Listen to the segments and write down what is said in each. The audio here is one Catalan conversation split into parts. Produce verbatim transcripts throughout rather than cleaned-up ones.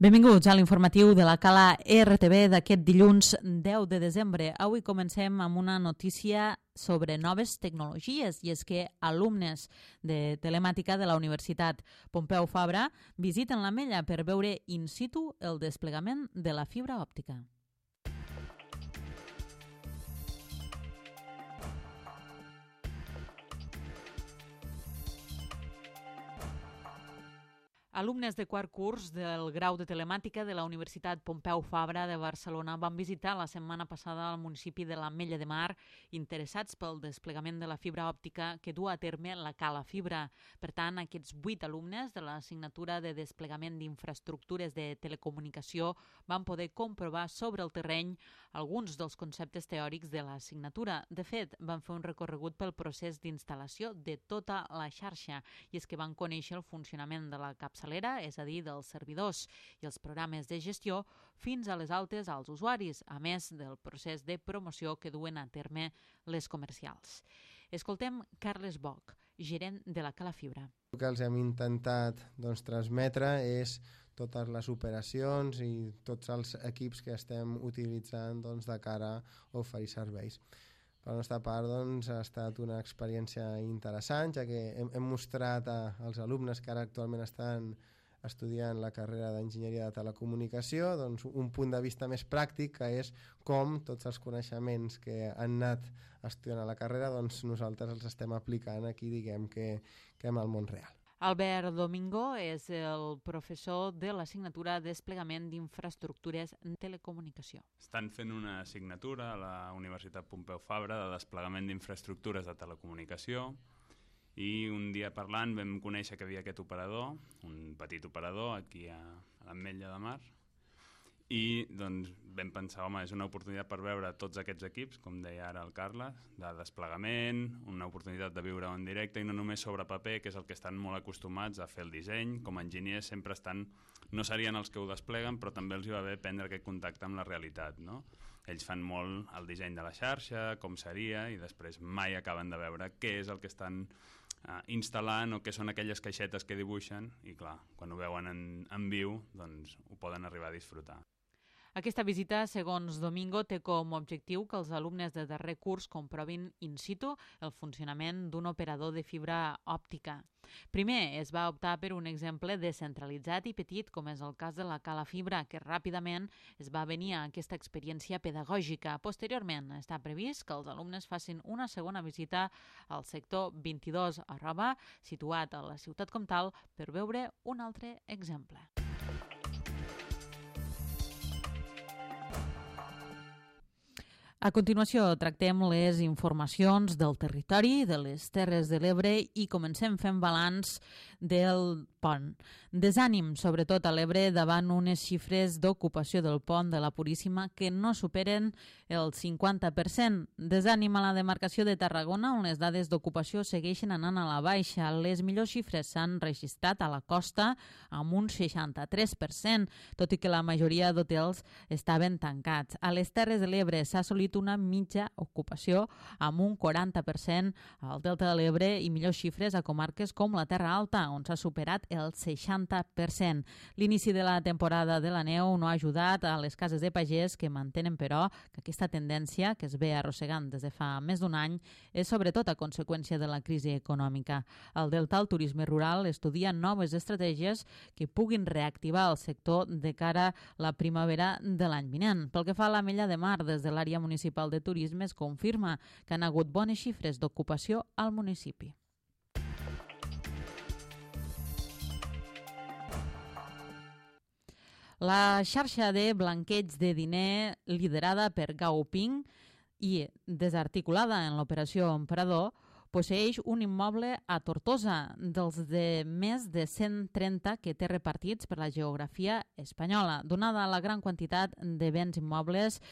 Benvinguts a l'informatiu de la Cala R T V d'aquest dilluns deu de desembre. Avui comencem amb una notícia sobre noves tecnologies, i és que alumnes de telemàtica de la Universitat Pompeu Fabra visiten l'Ametlla per veure in situ el desplegament de la fibra òptica. Alumnes de quart curs del grau de telemàtica de la Universitat Pompeu Fabra de Barcelona van visitar la setmana passada el municipi de l'Ametlla de Mar interessats pel desplegament de la fibra òptica que du a terme la Cala Fibra. Per tant, aquests vuit alumnes de l'assignatura de desplegament d'infraestructures de telecomunicació van poder comprovar sobre el terreny alguns dels conceptes teòrics de l'assignatura. De fet, van fer un recorregut pel procés d'instal·lació de tota la xarxa, i és que van conèixer el funcionament de la capçalera, és a dir, dels servidors i els programes de gestió, fins a les altes als usuaris, a més del procés de promoció que duen a terme les comercials. Escoltem Carles Boc, gerent de la Cala Fibra. El que els hem intentat doncs, transmetre és totes les operacions i tots els equips que estem utilitzant doncs, de cara a oferir serveis. Per la nostra part, doncs, ha estat una experiència interessant, ja que hem, hem mostrat a, als alumnes que ara actualment estan estudiant la carrera d'Enginyeria de Telecomunicació doncs, un punt de vista més pràctic, que és com tots els coneixements que han anat estudiant a la carrera doncs, nosaltres els estem aplicant aquí, diguem que, que en el món real. Albert Domingo és el professor de l'assignatura Desplegament d'Infraestructures en Telecomunicació. Estan fent una assignatura a la Universitat Pompeu Fabra de desplegament d'infraestructures de telecomunicació, i un dia parlant vam conèixer que havia aquest operador, un petit operador aquí a, a l'Ametlla de Mar, i doncs vam pensar, home, és una oportunitat per veure tots aquests equips, com deia ara el Carles, de desplegament, una oportunitat de viure en directe i no només sobre paper, que és el que estan molt acostumats a fer el disseny. Com a enginyers sempre estan, no serien els que ho despleguen, però també els hi va bé prendre aquest contacte amb la realitat, no? Ells fan molt el disseny de la xarxa, com seria, i després mai acaben de veure què és el que estan uh, instal·lant o què són aquelles caixetes que dibuixen, i clar, quan ho veuen en, en viu, doncs ho poden arribar a disfrutar. Aquesta visita, segons Domingo, té com a objectiu que els alumnes de darrer curs comprovin in situ el funcionament d'un operador de fibra òptica. Primer es va optar per un exemple descentralitzat i petit, com és el cas de la Cala Fibra, que ràpidament es va venir a aquesta experiència pedagògica. Posteriorment, està previst que els alumnes facin una segona visita al sector vint-i-dos arroba, situat a la ciutat comtal, per veure un altre exemple. A continuació, tractem les informacions del territori, de les Terres de l'Ebre, i comencem fent balanç del pont. Desànim, sobretot a l'Ebre, davant unes xifres d'ocupació del pont de la Puríssima que no superen el cinquanta per cent. Desànim a la demarcació de Tarragona, on les dades d'ocupació segueixen anant a la baixa. Les millors xifres s'han registrat a la costa amb un seixanta-tres per cent, tot i que la majoria d'hotels estaven tancats. A les Terres de l'Ebre s'ha assolit una mitja ocupació amb un quaranta per cent al Delta de l'Ebre i millors xifres a comarques com la Terra Alta, on s'ha superat el seixanta per cent. L'inici de la temporada de la neu no ha ajudat a les cases de pagès, que mantenen, però, que aquesta tendència, que es ve arrossegant des de fa més d'un any, és sobretot a conseqüència de la crisi econòmica. Al Delta, el turisme rural estudia noves estratègies que puguin reactivar el sector de cara a la primavera de l'any vinent. Pel que fa a l'Ametlla de Mar, des de l'àrea municipal de Turisme es confirma que han hagut bones xifres d'ocupació al municipi. La xarxa de blanqueig de diner liderada per Gaoping i desarticulada en l'operació Emperador posseeix un immoble a Tortosa, dels de més de cent trenta que té repartits per la geografia espanyola. Donada la gran quantitat de béns immobles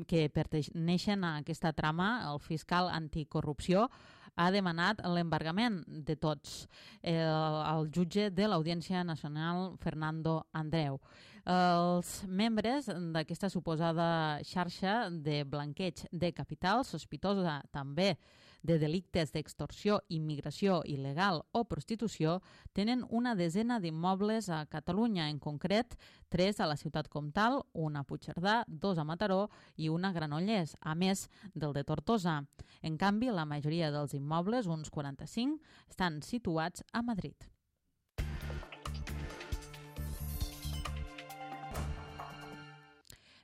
que pertaneixen a aquesta trama, el fiscal anticorrupció ha demanat l'embargament de tots. El, el jutge de l'Audiència Nacional, Fernando Andreu. Els membres d'aquesta suposada xarxa de blanqueig de capital, sospitosa també de delictes d'extorsió, immigració il·legal o prostitució, tenen una desena d'immobles a Catalunya, en concret tres a la ciutat comtal, una a Puigcerdà, dos a Mataró i una a Granollers, a més del de Tortosa. En canvi, la majoria dels immobles, uns quaranta-cinc, estan situats a Madrid.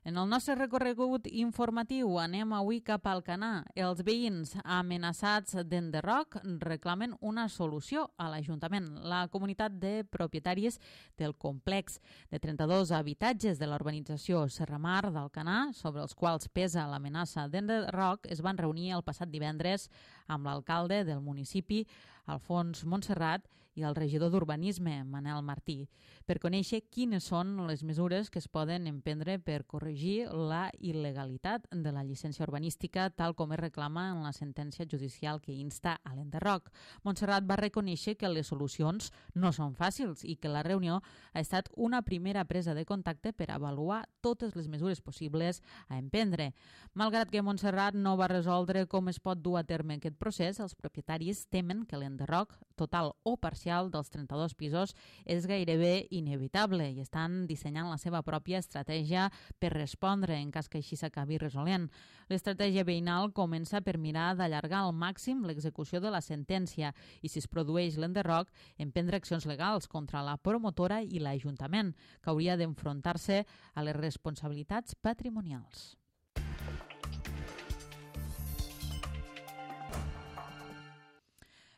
En el nostre recorregut informatiu anem avui cap al Canà. Els veïns amenaçats d'enderroc reclamen una solució a l'Ajuntament. La comunitat de propietaris del complex de trenta-dos habitatges de la urbanització Serramar d'Alcanar, sobre els quals pesa l'amenaça d'enderroc, es van reunir el passat divendres amb l'alcalde del municipi, Alfons Montserrat, i el regidor d'Urbanisme, Manel Martí, per conèixer quines són les mesures que es poden emprendre per corregir la il·legalitat de la llicència urbanística, tal com es reclama en la sentència judicial que insta a l'enderroc. Montserrat va reconèixer que les solucions no són fàcils i que la reunió ha estat una primera presa de contacte per avaluar totes les mesures possibles a emprendre. Malgrat que Montserrat no va resoldre com es pot dur a terme aquest procés, els propietaris temen que l'enderroc total o parcial dels trenta-dos pisos és gairebé inevitable i estan dissenyant la seva pròpia estratègia per respondre en cas que així s'acabi resolent. L'estratègia veïnal comença per mirar d'allargar al màxim l'execució de la sentència i, si es produeix l'enderroc, emprendre accions legals contra la promotora i l'Ajuntament, que hauria d'enfrontar-se a les responsabilitats patrimonials.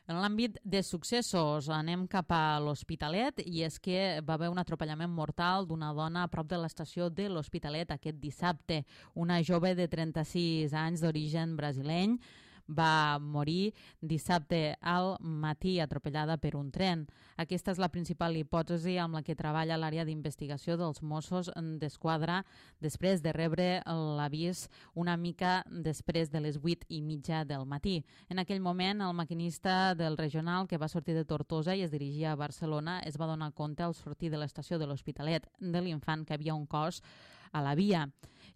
En l'àmbit de successos anem cap a l'Hospitalet, i és que va haver un atropellament mortal d'una dona a prop de l'estació de l'Hospitalet aquest dissabte. Una jove de trenta-sis anys d'origen brasileny va morir dissabte al matí atropellada per un tren. Aquesta és la principal hipòtesi amb la que treballa l'àrea d'investigació dels Mossos d'Esquadra després de rebre l'avís una mica després de les vuit i mitja del matí. En aquell moment, el maquinista del regional que va sortir de Tortosa i es dirigia a Barcelona es va donar compte al sortir de l'estació de l'Hospitalet de l'Infant que havia un cos a la via,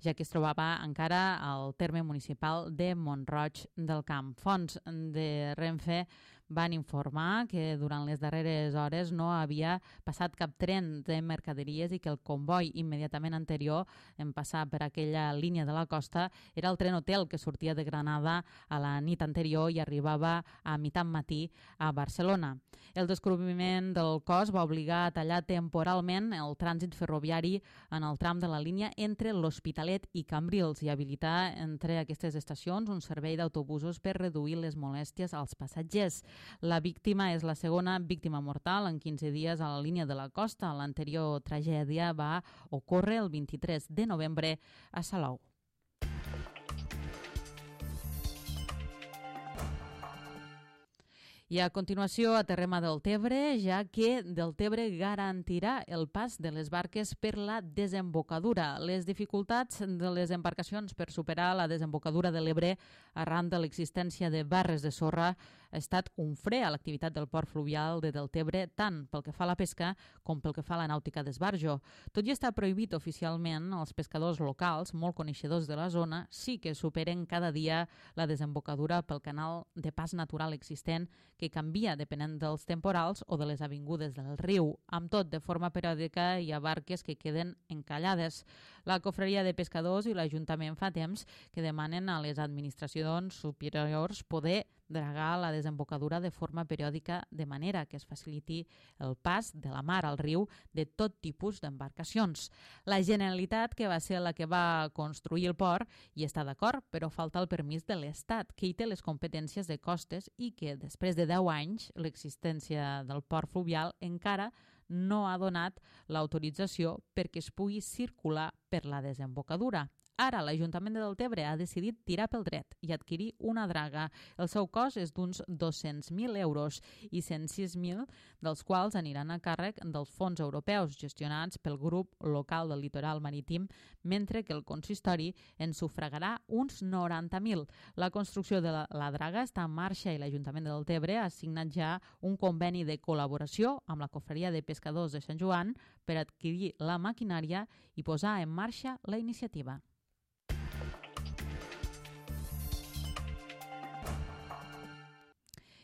ja que es trobava encara al terme municipal de Mont-roig del Camp. Fonts de Renfe van informar que durant les darreres hores no havia passat cap tren de mercaderies i que el comboi immediatament anterior en passar per aquella línia de la costa era el tren hotel que sortia de Granada a la nit anterior i arribava a mitjan matí a Barcelona. El descobriment del cos va obligar a tallar temporalment el trànsit ferroviari en el tram de la línia entre l'Hospitalet i Cambrils i habilitar entre aquestes estacions un servei d'autobusos per reduir les molèsties als passatgers. La víctima és la segona víctima mortal en quinze dies a la línia de la costa. L'anterior tragèdia va ocórrer el vint-i-tres de novembre a Salou. I a continuació aterrem a Deltebre, ja que Deltebre garantirà el pas de les barques per la desembocadura. Les dificultats de les embarcacions per superar la desembocadura de l'Ebre arran de l'existència de barres de sorra ha estat un fre a l'activitat del port fluvial de Deltebre, tant pel que fa a la pesca com pel que fa a la nàutica d'esbarjo. Tot i estar prohibit oficialment, els pescadors locals, molt coneixedors de la zona, sí que superen cada dia la desembocadura pel canal de pas natural existent que canvia depenent dels temporals o de les avingudes del riu. Amb tot, de forma periòdica hi ha barques que queden encallades. La Cofreria de Pescadors i l'Ajuntament fa temps que demanen a les administracions superiors poder dragar la desembocadura de forma periòdica de manera que es faciliti el pas de la mar al riu de tot tipus d'embarcacions. La Generalitat, que va ser la que va construir el port, hi està d'acord, però falta el permís de l'Estat, que hi té les competències de costes i que després de deu anys l'existència del port fluvial encara no ha donat l'autorització perquè es pugui circular per la desembocadura. Ara, l'Ajuntament de Deltebre ha decidit tirar pel dret i adquirir una draga. El seu cost és d'uns dos-cents mil euros i cent sis mil dels quals aniran a càrrec dels fons europeus gestionats pel grup local del litoral marítim, mentre que el consistori en sufragarà uns noranta mil. La construcció de la, la draga està en marxa i l'Ajuntament de Deltebre ha signat ja un conveni de col·laboració amb la Cofreria de Pescadors de Sant Joan per adquirir la maquinària i posar en marxa la iniciativa.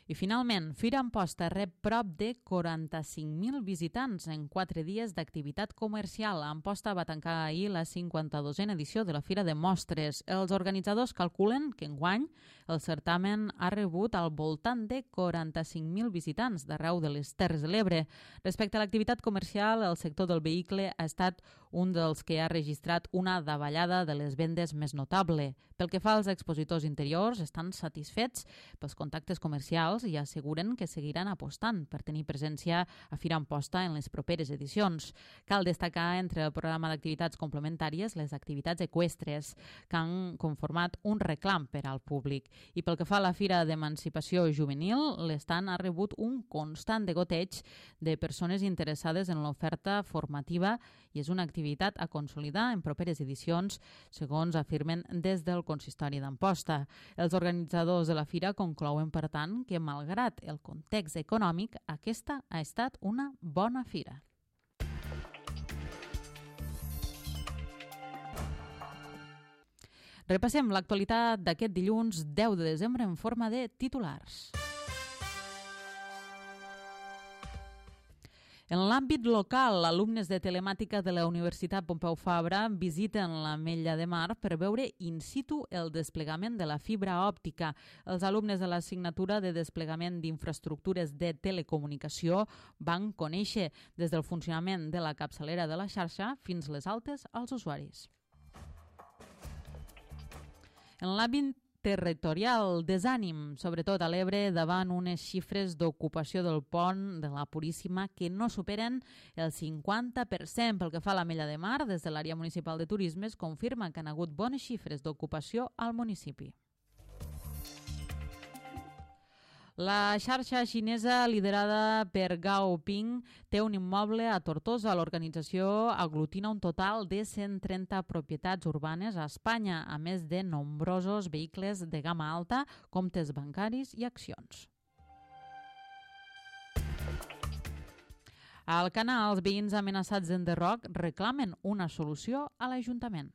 I finalment, Fira Amposta rep prop de quaranta-cinc mil visitants en quatre dies d'activitat comercial. Amposta va tancar ahir la cinquanta-dosena edició de la Fira de Mostres. Els organitzadors calculen que enguany el certamen ha rebut al voltant de quaranta-cinc mil visitants d'arreu de les Terres de l'Ebre. Respecte a l'activitat comercial, el sector del vehicle ha estat un dels que ha registrat una davallada de les vendes més notable. Pel que fa als expositors interiors, estan satisfets pels contactes comercials i asseguren que seguiran apostant per tenir presència a Fira Amposta en les properes edicions. Cal destacar entre el programa d'activitats complementàries les activitats eqüestres, que han conformat un reclam per al públic. I pel que fa a la Fira d'Emancipació Juvenil, l'estand ha rebut un constant degoteig de persones interessades en l'oferta formativa i és una activitat a consolidar en properes edicions, segons afirmen des del Consistori d'Amposta. Els organitzadors de la fira conclouen, per tant, que malgrat el context econòmic, aquesta ha estat una bona fira. Repassem l'actualitat d'aquest dilluns deu de desembre en forma de titulars. En l'àmbit local, alumnes de telemàtica de la Universitat Pompeu Fabra visiten l'Ametlla de Mar per veure in situ el desplegament de la fibra òptica. Els alumnes de l'assignatura de desplegament d'infraestructures de telecomunicació van conèixer des del funcionament de la capçalera de la xarxa fins les altes als usuaris. En l'àmbit territorial, desànim, sobretot a l'Ebre, davant unes xifres d'ocupació del pont de la Puríssima que no superen el cinquanta per cent. Pel que fa a l'Ametlla de Mar, des de l'àrea municipal de turisme es confirma que han hagut bones xifres d'ocupació al municipi. La xarxa xinesa liderada per Gao Ping té un immoble a Tortosa. L'organització aglutina un total de cent trenta propietats urbanes a Espanya, a més de nombrosos vehicles de gamma alta, comptes bancaris i accions. A Alcanar, els veïns amenaçats d'enderroc reclamen una solució a l'Ajuntament.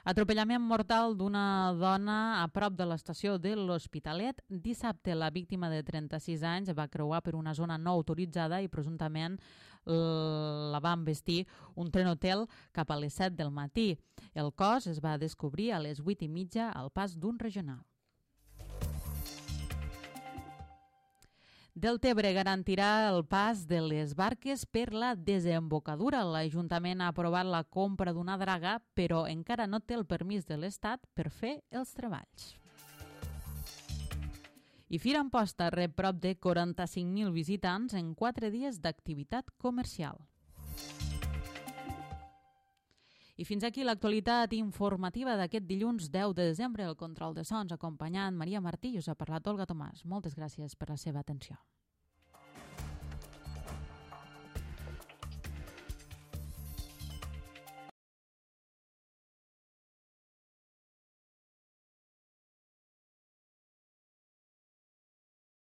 Atropellament mortal d'una dona a prop de l'estació de l'Hospitalet. Dissabte, la víctima de trenta-sis anys va creuar per una zona no autoritzada i presumptament la va embestir un tren hotel cap a les set del matí. El cos es va descobrir a les vuit i mitja al pas d'un regional. Deltebre garantirà el pas de les barques per la desembocadura. L'Ajuntament ha aprovat la compra d'una draga, però encara no té el permís de l'Estat per fer els treballs. I Fira Amposta rep prop de quaranta-cinc mil visitants en quatre dies d'activitat comercial. I fins aquí l'actualitat informativa d'aquest dilluns deu de desembre. El control de sons acompanyant Maria Martí i us ha parlat Olga Tomàs. Moltes gràcies per la seva atenció.